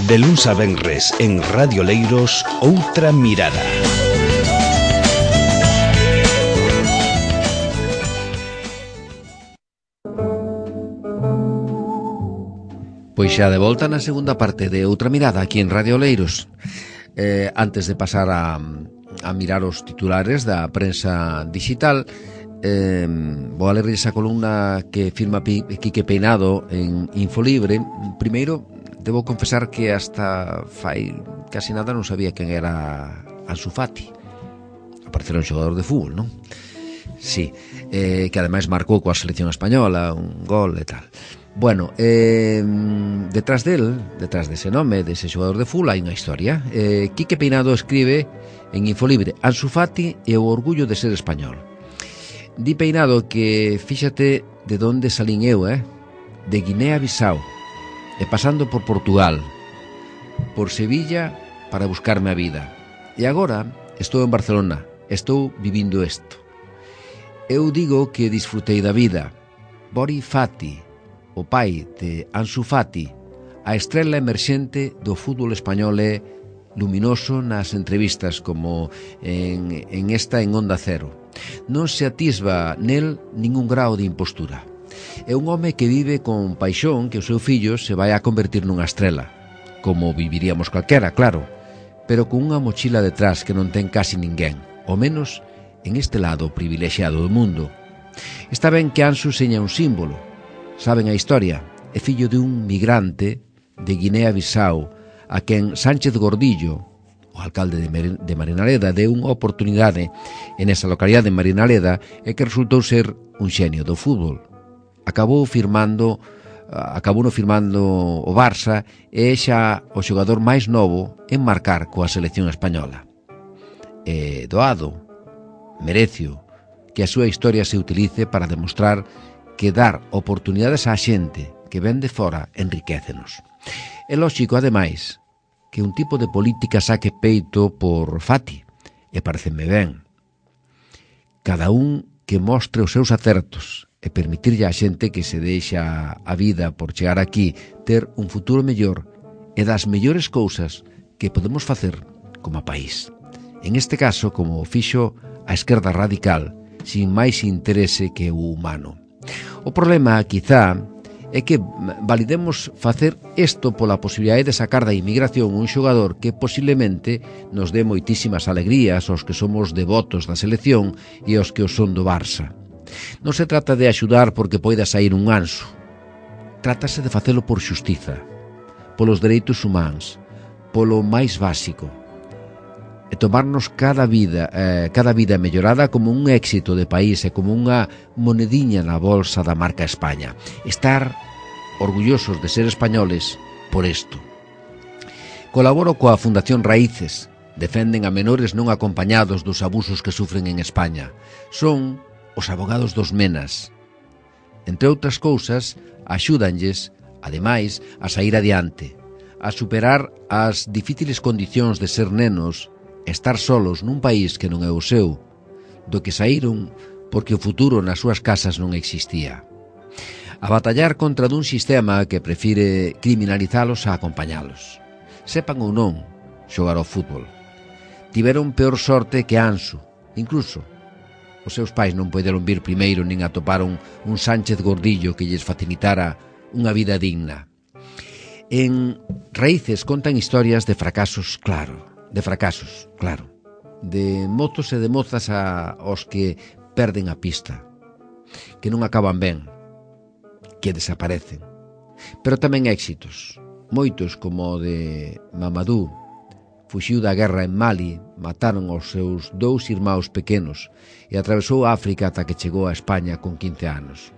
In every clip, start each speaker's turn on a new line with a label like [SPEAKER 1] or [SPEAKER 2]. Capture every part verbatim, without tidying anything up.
[SPEAKER 1] De luns a venres en Radio Leiros, Outra Mirada.
[SPEAKER 2] Pois xa de volta na segunda parte de Outra Mirada aquí en Radio Leiros. Eh, antes de pasar a, a mirar os titulares da prensa digital, eh, vou a ler esa columna que firma Quique Peinado en Infolibre. Primeiro, debo confesar que hasta fai casi nada non sabía quen era Ansu Fati. Aparecera un xogador de fútbol, non? Sí, eh, que ademais marcou coa selección española un gol e tal. Bueno, eh, detrás del, detrás dese nome, dese xogador de fútbol, hai unha historia. eh, Quique Peinado escribe en Infolibre: Ansu Fati e o orgullo de ser español. Di Peinado que, fíxate de onde salín eu, eh? de Guinea-Bissau, e pasando por Portugal, por Sevilla, para buscarme a vida. E agora estou en Barcelona, estou vivindo isto. Eu digo que disfrutei da vida. Bori Fati, o pai de Ansu Fati, a estrela emerxente do fútbol español, é luminoso nas entrevistas como en, en esta en Onda Cero. Non se atisba nel ningún grao de impostura. É un home que vive con paixón que o seu fillo se vai a convertir nunha estrela, como viviríamos calquera, claro, pero con unha mochila detrás que non ten casi ninguén, ao menos en este lado privilexiado do mundo. Está ben que Ansu seña un símbolo. Saben a historia, é fillo de un migrante de Guinea-Bissau a quen Sánchez Gordillo, o alcalde de Marinaleda, deu unha oportunidade en esa localidade de Marinaleda e que resultou ser un xenio do fútbol. Acabou firmando, acabou no firmando o Barça e xa o xogador máis novo en marcar coa selección española. E doado, merecio que a súa historia se utilice para demostrar que dar oportunidades á xente que ven de fora enriquécenos. É lóxico, ademais, que un tipo de política saque peito por Fati, e pareceme ben. Cada un que mostre os seus acertos e permitirlle á xente que se deixa a vida por chegar aquí ter un futuro mellor é das mellores cousas que podemos facer como país. En este caso, como fixo a esquerda radical, sin máis interese que o humano. O problema, quizá, é que validemos facer isto pola posibilidade de sacar da inmigración un xogador que posiblemente nos dé moitísimas alegrías aos que somos devotos da selección e aos que o son do Barça. Non se trata de axudar porque poida sair un Ansu. Trátase de facelo por xustiza, polos dereitos humanos, polo máis básico, e tomarnos cada vida, eh, cada vida mellorada como un éxito de país e como unha monediña na bolsa da marca España. Estar orgullosos de ser españoles por isto. Colaboro coa Fundación Raíces. Defenden a menores non acompañados dos abusos que sufren en España. Son os abogados dos menas. Entre outras cousas, axúdanlles, ademais, a sair adiante, a superar as difíciles condicións de ser nenos, estar solos nun país que non é o seu, do que saíron porque o futuro nas súas casas non existía. A batallar contra dun sistema que prefire criminalizalos a acompañalos. Sepan ou non xogar ao fútbol. Tiveron peor sorte que Ansu. Incluso os seus pais non poderon vir primeiro nin atoparon un Sánchez Gordillo que lles facilitara unha vida digna. En Raíces contan historias de fracasos, claro, de fracasos, claro, de mozos e de mozas a, aos que perden a pista, que non acaban ben, que desaparecen, pero tamén éxitos, moitos como o de Mamadou. Fuxiu da guerra en Mali, mataron aos seus dous irmãos pequenos e atravesou África ata que chegou a España con quince anos.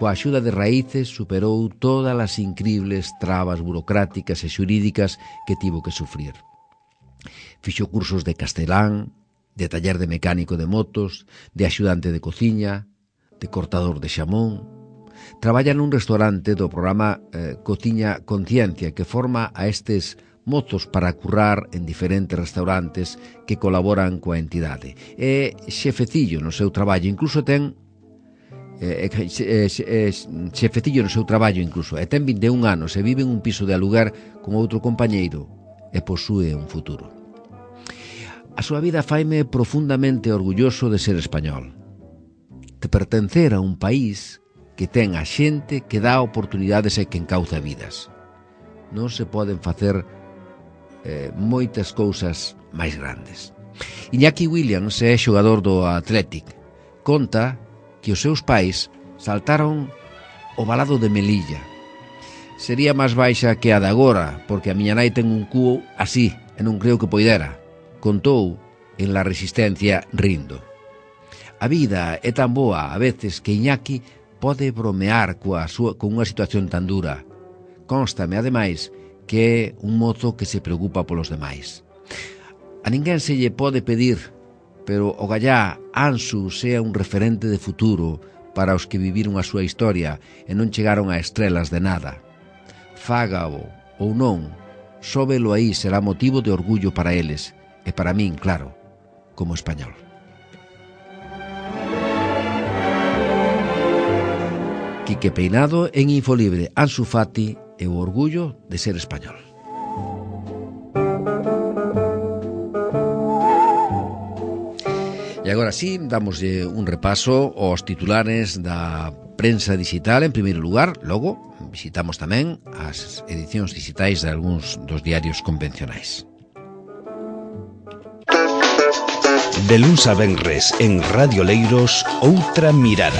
[SPEAKER 2] Coa axuda de Raíces superou todas as incribles trabas burocráticas e xurídicas que tivo que sufrir. Fixo cursos de castelán, de taller de mecánico de motos, de axudante de cociña, de cortador de xamón. Traballa nun restaurante do programa eh, Cociña Conciencia, que forma a estes mozos para currar en diferentes restaurantes que colaboran coa entidade. É xefecillo no seu traballo, incluso ten eh, eh, eh, xefecillo no seu traballo incluso, e ten vinte e un anos e vive en un piso de alugar con outro compañeiro e posúe un futuro. A súa vida faime profundamente orgulloso de ser español, de pertencer a un país que ten a xente que dá oportunidades e que encauza vidas. Non se poden facer eh, moitas cousas máis grandes. Iñaki Williams é xogador do Athletic. Conta que os seus pais saltaron o valado de Melilla. Sería máis baixa que a de agora, porque a miña nai ten un cuo así, e non creo que poidera. Contou en La Resistencia rindo. A vida é tan boa a veces que Iñaki pode bromear coa súa, con unha situación tan dura. Constame, ademais, que é un mozo que se preocupa polos demais. A ninguén se lle pode pedir, pero o gallá Ansu sea un referente de futuro para os que viviron a súa historia e non chegaron a estrelas de nada. Fágao ou non, só velo aí será motivo de orgullo para eles, e para min, claro, como español. Quique Peinado en Infolibre, Ansu Fati e o orgullo de ser español. E agora sí, damoslle un repaso aos titulares da prensa digital en primeiro lugar. Logo, visitamos tamén as edicións digitais de algúns dos diarios convencionais.
[SPEAKER 1] De luns a venres en Radio Leiros, Outra Mirada.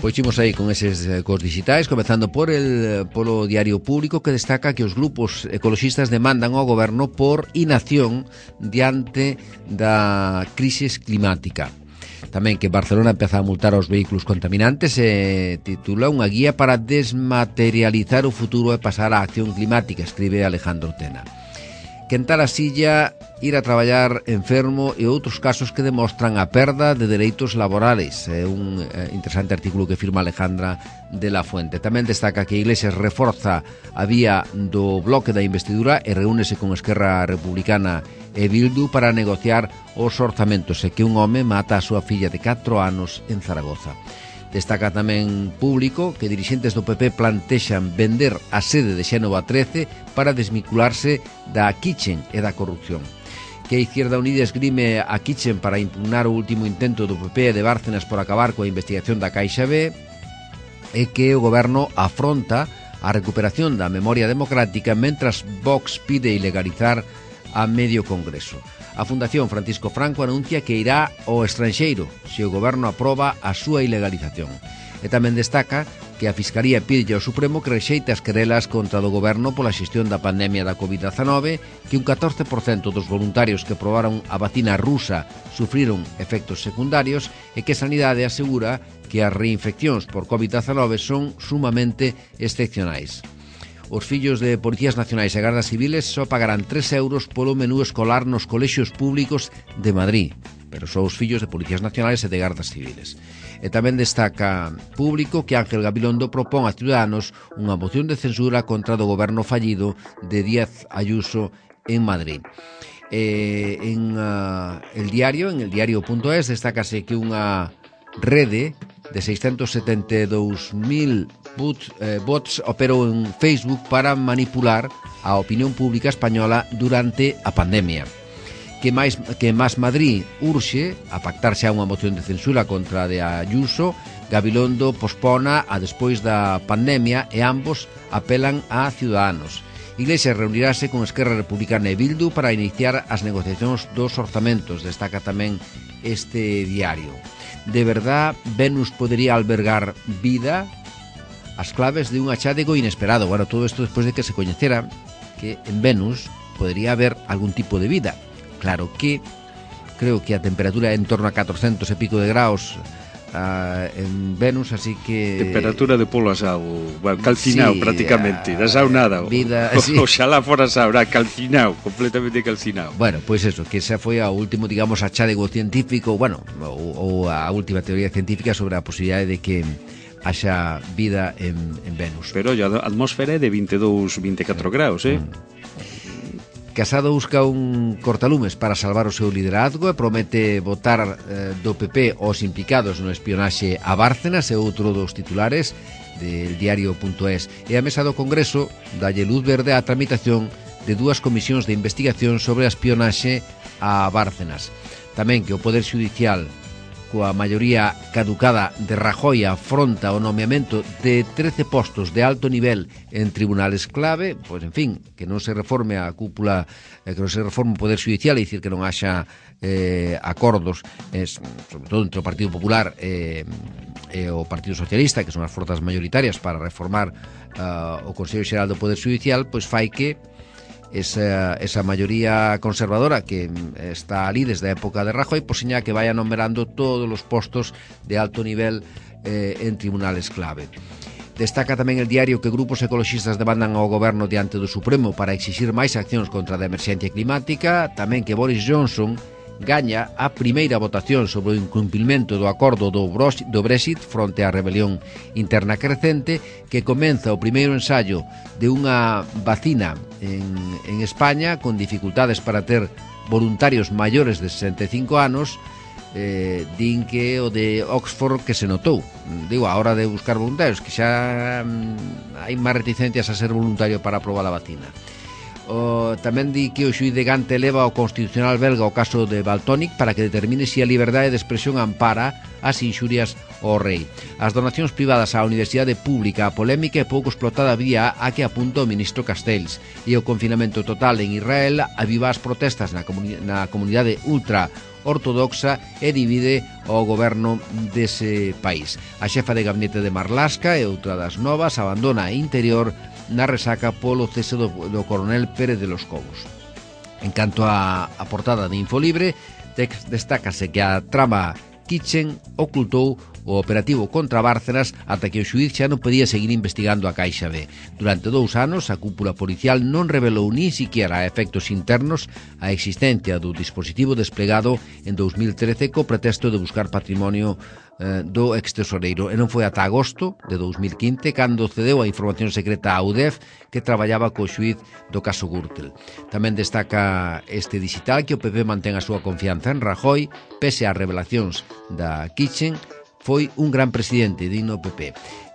[SPEAKER 1] Pois imos aí con eses cos digitais, comezando por el polo Diario Público, que destaca que os grupos ecoloxistas demandan ao goberno por inacción diante da crisis climática. Tamén que Barcelona empeza a multar aos vehículos contaminantes e titula unha guía para desmaterializar o futuro e pasar á acción climática, escribe Alejandro Tena. Quentar a silla, ir a traballar enfermo e outros casos que demostran a perda de dereitos laborales. É un eh, interesante artículo que firma Alejandra de la Fuente. Tamén destaca que Iglesias reforza a vía do bloque da investidura e reúnese con Esquerra Republicana e Bildu para negociar os orzamentos e que un home mata a súa filla de catro anos en Zaragoza. Destaca tamén Público que dirixentes do P P plantexan vender a sede de Xénova trece para desvincularse da Kitchen e da corrupción. Que a Izquierda Unida esgrime a Kitchen para impugnar o último intento do P P e de Bárcenas por acabar coa investigación da Caixa B, e que o goberno afronta a recuperación da memoria democrática mentras Vox pide ilegalizar a medio Congreso. A Fundación Francisco Franco anuncia que irá ao estranxeiro se o goberno aproba a súa ilegalización. E tamén destaca que a Fiscalía pide ao Supremo que rexeite as querelas contra do goberno pola xestión da pandemia da covid dezanove, que un catorce por cento dos voluntarios que probaron a vacina rusa sufriron efectos secundarios e que Sanidade asegura que as reinfeccións por covid dezanove son sumamente excepcionais. Os fillos de policías nacionais e gardas civiles só pagarán tres euros polo menú escolar nos colexios públicos de Madrid, pero só os fillos de policías nacionais e de gardas civiles. E tamén destaca Público que Ángel Gabilondo propón a Ciudadanos unha moción de censura contra do goberno fallido de Díaz Ayuso en Madrid. E en uh, el diario, en el diario punto es, destácase que unha rede de seiscentos setenta e dous mil bot, eh, bots operou en Facebook para manipular a opinión pública española durante a pandemia. Que máis que Más Madrid urxe a pactar xa unha moción de censura contra de Ayuso, Gabilondo pospona a despois da pandemia e ambos apelan a Ciudadanos. Iglesias reunirase con Esquerra Republicana e Bildu para iniciar as negociacións dos orzamentos, destaca tamén este diario. De verdad, Venus podería albergar vida? As claves de un achádego inesperado. Bueno, todo isto despois de que se coñecera que en Venus podería haber algún tipo de vida. Claro que creo que a temperatura é en torno a catrocentos e pico de graus uh, en Venus, así que...
[SPEAKER 3] Temperatura de polo asado, bueno, calcinado sí, prácticamente, uh, da saunada.
[SPEAKER 2] Vida, sí.
[SPEAKER 3] Oxalá fora sauna, calcinado, completamente calcinado.
[SPEAKER 2] Bueno, pois pues eso, que esa foi a último, digamos, achádego científico, bueno, ou, ou a última teoría científica sobre a posibilidade de que haxa vida en, en Venus.
[SPEAKER 3] Pero a atmósfera é de veintidós, veinticuatro graus, eh? Mm.
[SPEAKER 1] Casado busca un cortalumes para salvar o seu liderazgo e promete votar eh, do P P os implicados no espionaxe a Bárcenas, e outro dos titulares del diario punto es. E a mesa do Congreso dalle luz verde á tramitación de dúas comisións de investigación sobre a espionaxe a Bárcenas. Tamén que o Poder Xudicial, coa maioría caducada de Rajoy, afronta o nomeamento de trece postos de alto nivel en tribunales clave, pois, en fin, que non se reforme a cúpula, que non se reforme o Poder Judicial, e dicir que non haxa eh, acordos, es, sobre todo entre o Partido Popular e, e o Partido Socialista, que son as forzas maioritarias para reformar uh, o Consello Xeral do Poder Judicial, pois fai que esa, esa maioría conservadora que está ali desde a época de Rajoy, pois seña que vaya numerando todos os postos de alto nivel eh, en tribunales clave. Destaca tamén el diario que grupos ecoloxistas demandan ao goberno diante do Supremo para exixir máis accións contra a emerxencia climática, tamén que Boris Johnson gaña a primeira votación sobre o incumprimento do acordo do Brexit fronte á rebelión interna crecente, que comeza o primeiro ensaio de unha vacina en, en España con dificultades para ter voluntarios maiores de sesenta e cinco anos. Eh, din que o de Oxford que se notou, digo, a hora de buscar voluntarios, que xa mm, hai máis reticencias a ser voluntario para aprobar a vacina. O, tamén di que o xuíz de Gante eleva ao Constitucional belga o caso de Valtònyc para que determine se a liberdade de expresión ampara as inxurias ao rei. As donacións privadas á universidade pública, a polémica e pouco explotada vía a que apunta o ministro Castells, e o confinamento total en Israel aviva as protestas na, comuni- na comunidade ultra ortodoxa e divide o goberno dese país. A xefa de gabinete de Marlaska e outra das novas abandona a Interior na resaca polo cese do, do coronel Pérez de los Cobos. En canto a, a portada de Infolibre, destácase que a trama Kitchen ocultou o operativo contra Bárcenas ata que o xuíz xa non podía seguir investigando a Caixa B. Durante dous anos, a cúpula policial non revelou nin siquiera a efectos internos a existencia do dispositivo desplegado en dous mil trece co pretexto de buscar patrimonio eh, do extesoreiro. E non foi ata agosto de dous mil quince cando cedeu a información secreta a U D E F, que traballaba co xuíz do caso Gürtel. Tamén destaca este digital que o P P mantén a súa confianza en Rajoy, pese ás revelacións da Kitchen. Foi un gran presidente, digno P P.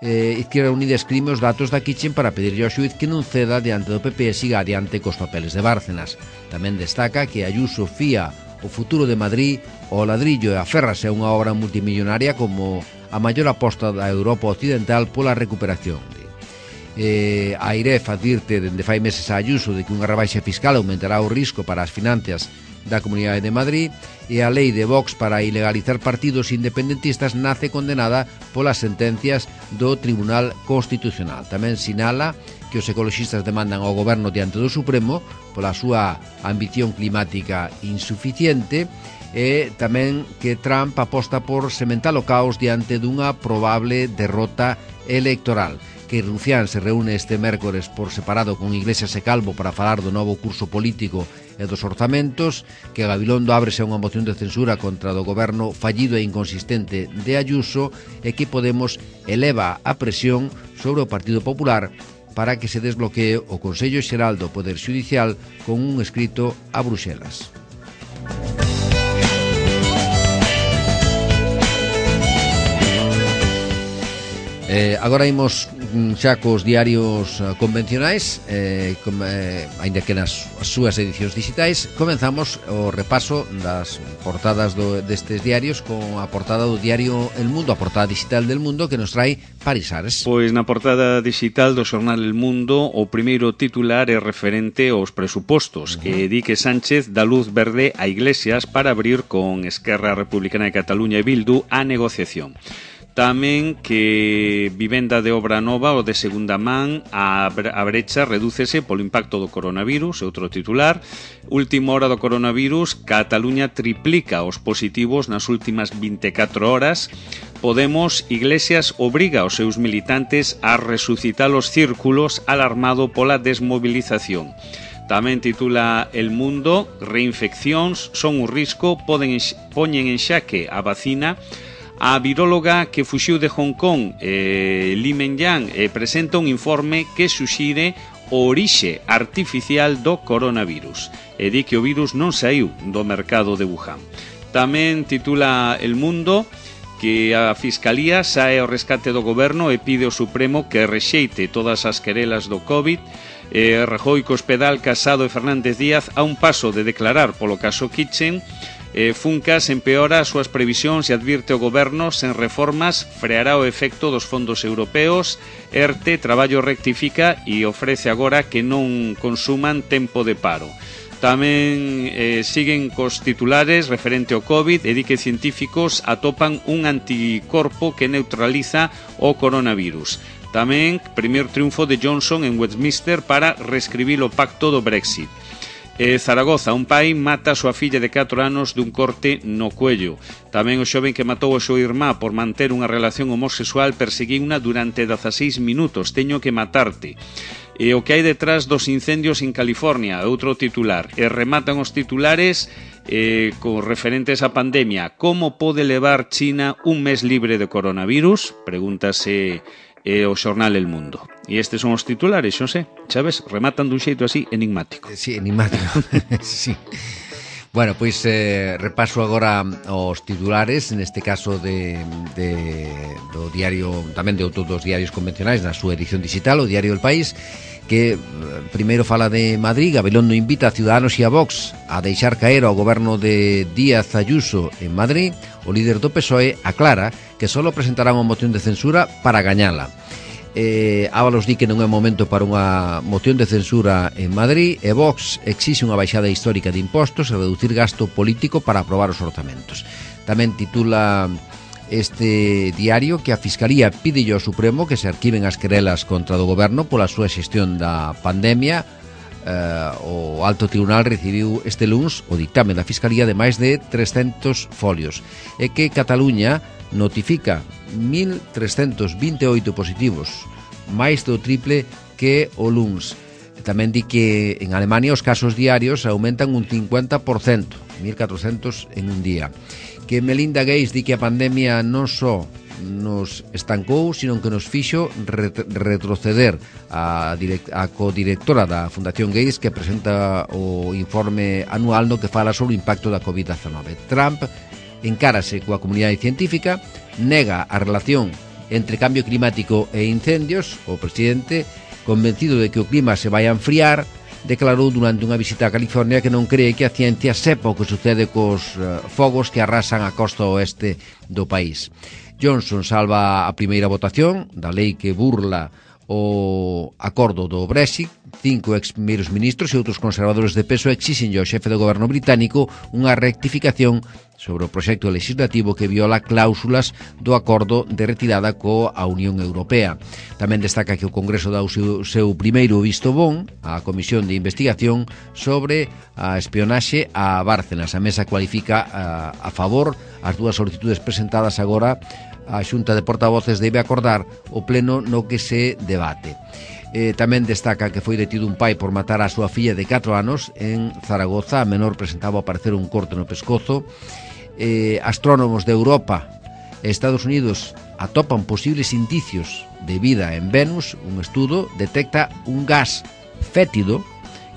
[SPEAKER 1] Eh, Izquierda Unida escrime os datos da Kitchen para pedirlle ao xuíz que non ceda diante do P P e siga adiante cos papeles de Bárcenas. Tamén destaca que Ayuso fía o futuro de Madrid ao ladrillo e aférrase a unha obra multimillonaria como a maior aposta da Europa Occidental pola recuperación. Eh, a Airef advirte dende fai meses a Ayuso de que unha rebaixa fiscal aumentará o risco para as finanzas da Comunidade de Madrid, e a lei de Vox para ilegalizar partidos independentistas nace condenada polas sentencias do Tribunal Constitucional. Tamén sinala que os ecoloxistas demandan ao goberno diante do Supremo pola súa ambición climática insuficiente, e tamén que Trump aposta por sementar o caos diante dunha probable derrota electoral. Que Rufián se reúne este mércores por separado con Iglesias e Calvo para falar do novo curso político e dos orzamentos, que Gabilondo ábrese a unha moción de censura contra do goberno fallido e inconsistente de Ayuso, e que Podemos eleva a presión sobre o Partido Popular para que se desbloquee o Consello Xeral do Poder Xudicial con un escrito a Bruxelas. Eh, agora imos xa cos diarios uh, convencionais, eh, com, eh, ainda que nas as súas edicións digitais. Comenzamos o repaso das portadas do, destes diarios con a portada do diario El Mundo, a portada digital del Mundo, que nos trae Paris Ares.
[SPEAKER 3] Pois na portada digital do xornal El Mundo, o primeiro titular é referente aos presupostos, uh-huh. que di que Sánchez dá luz verde a Iglesias para abrir con Esquerra Republicana de Cataluña e Bildu a negociación. Tamén que vivenda de obra nova ou de segunda man, a brecha redúcese polo impacto do coronavirus, outro titular. Última hora do coronavirus, Cataluña triplica os positivos nas últimas vinte e catro horas. Podemos, Iglesias obriga aos seus militantes a resucitar os círculos alarmado pola desmovilización. Tamén titula El Mundo, reinfeccións son un risco, poden poñen en xaque a vacina. A viróloga que fuxiu de Hong Kong, eh, Li Menyan, eh, presenta un informe que suxire o orixe artificial do coronavirus e di que o virus non saiu do mercado de Wuhan. Tamén titula El Mundo que a Fiscalía sae ao rescate do goberno e pide ao Supremo que rexeite todas as querelas do COVID. Eh, Rajoy, Cospedal, Casado e Fernández Díaz a un paso de declarar polo caso Kitchen. Eh, Funcas empeora as súas previsións e advirte o goberno sen reformas freará o efecto dos fondos europeos. ERTE, Traballo rectifica e ofrece agora que non consuman tempo de paro. Tamén eh, siguen cos titulares referente ao COVID e di que científicos atopan un anticorpo que neutraliza o coronavirus. Tamén, primeiro triunfo de Johnson en Westminster para reescribir o pacto do Brexit. Eh, Zaragoza, un pai mata a súa filla de catro anos dun corte no cuello. Tamén o xoven que matou a súa irmá por manter unha relación homosexual perseguiuna durante dezaseis minutos. Teño que matarte. E o que hai detrás dos incendios en California, outro titular. E rematan os titulares eh, con referentes á pandemia. Como pode levar China un mes libre de coronavirus? Pregúntase e o xornal El Mundo. E estes son os titulares, non sei, sabes, rematan dun xeito así enigmático.
[SPEAKER 1] Sí, enigmático. Sí. Bueno, pois eh, repaso agora os titulares, neste caso de, de do diario, tamén de outros dos diarios convencionais na súa edición digital, o diario El País, que primeiro fala de Madrid. Gabilondo invita a Ciudadanos e a Vox a deixar caer ao goberno de Díaz Ayuso en Madrid. O líder do P S O E aclara que só presentará unha moción de censura para gañala. Eh, Ábalos di que non é momento para unha moción de censura en Madrid e Vox exixe unha baixada histórica de impostos e reducir gasto político para aprobar os orzamentos. Tamén titula este diario que a Fiscalía pide ao Supremo que se arquiven as querelas contra do goberno pola súa xestión da pandemia. Uh, o Alto Tribunal recibiu este luns o dictame da Fiscalía de máis de trescentos folios e que Cataluña notifica mil trescentos vinte e oito positivos, máis do triple que o luns. Tamén di que en Alemania os casos diarios aumentan un cincuenta por cento, mil catrocentos en un día. Que Melinda Gates di que a pandemia non só nos estancou, sino que nos fixo ret- retroceder. A, direct- a codirectora da Fundación Gates, que presenta o informe anual no que fala sobre o impacto da covid diecinueve. Trump encárase coa comunidade científica, nega a relación entre cambio climático e incendios. O presidente, convencido de que o clima se vai a enfriar, declarou durante unha visita a California que non cree que a ciencia sepa o que sucede cos uh, fogos que arrasan a costa oeste do país. Johnson salva a primeira votación da lei que burla o acordo do Brexit. Cinco ex primeiros ministros e outros conservadores de peso exixen ao xefe do goberno británico unha rectificación sobre o proxecto legislativo que viola cláusulas do acordo de retirada coa Unión Europea. Tamén destaca que o Congreso dá o seu, seu primeiro visto bon á Comisión de Investigación sobre a espionaxe a Bárcenas. A mesa cualifica a, a favor as dúas solicitudes presentadas agora. A Xunta de Portavoces debe acordar o pleno no que se debate. Eh, tamén destaca que foi detido un pai por matar a súa filla de catro anos en Zaragoza. A menor presentaba ao parecer un corte no pescozo. Eh, astrónomos de Europa e Estados Unidos atopan posibles indicios de vida en Venus. Un estudo detecta un gas fétido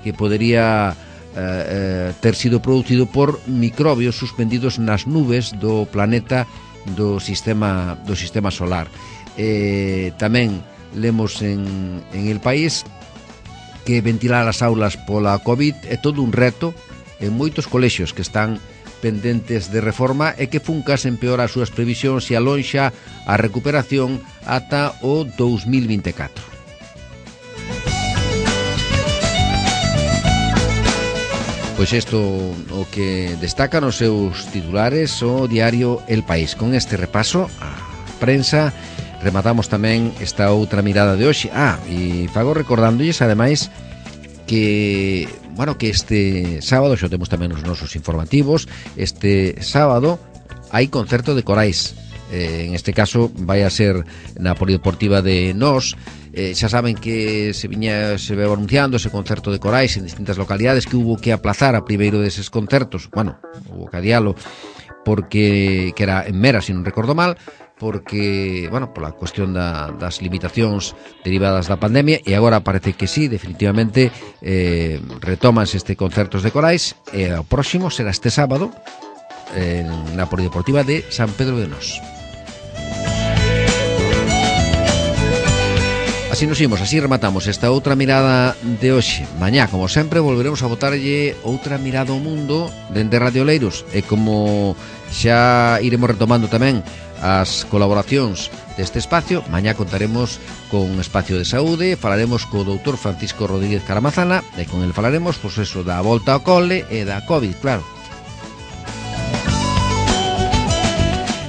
[SPEAKER 1] que podería eh, eh, ter sido producido por microbios suspendidos nas nubes do planeta do sistema do sistema solar. Eh, tamén lemos en, en El País que ventilar as aulas pola COVID é todo un reto en moitos colexios que están pendentes de reforma e que Funcas empeora as súas previsións e alonxa a recuperación ata o dous mil vinte e catro. Pois isto o que destaca nos seus titulares o diario El País. Con este repaso a prensa rematamos tamén esta outra mirada de hoxe. Ah, e fago recordándolles ademais que, bueno, que este sábado, xo temos tamén os nosos informativos, este sábado hai concerto de corais. Eh, en este caso vai a ser na Polideportiva de Nós. Eh, xa saben que se viña se veu anunciando ese concerto de corais en distintas localidades, que hubo que aplazar a primeiro deses concertos, bueno, hubo que adialo porque que era en Mera, se non recordo mal, porque, bueno, pola cuestión da, das limitacións derivadas da pandemia, e agora parece que sí, definitivamente eh, retómanse este concertos de corais, e o próximo será este sábado en la Polideportiva de San Pedro de Nós. Así nos imos, así rematamos esta outra mirada de hoxe. Mañá, como sempre, volveremos a botarlle outra mirada ao mundo dende Radio Oleiros, e como xa iremos retomando tamén as colaboracións deste espacio, mañá contaremos con un espacio de saúde, falaremos co doutor Francisco Rodríguez Caramazana, e con el falaremos, pois eso, da volta ao cole e da COVID, claro.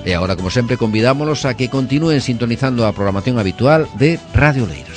[SPEAKER 1] E agora, como sempre, convidámonos a que continúen sintonizando a programación habitual de Radio Oleiros.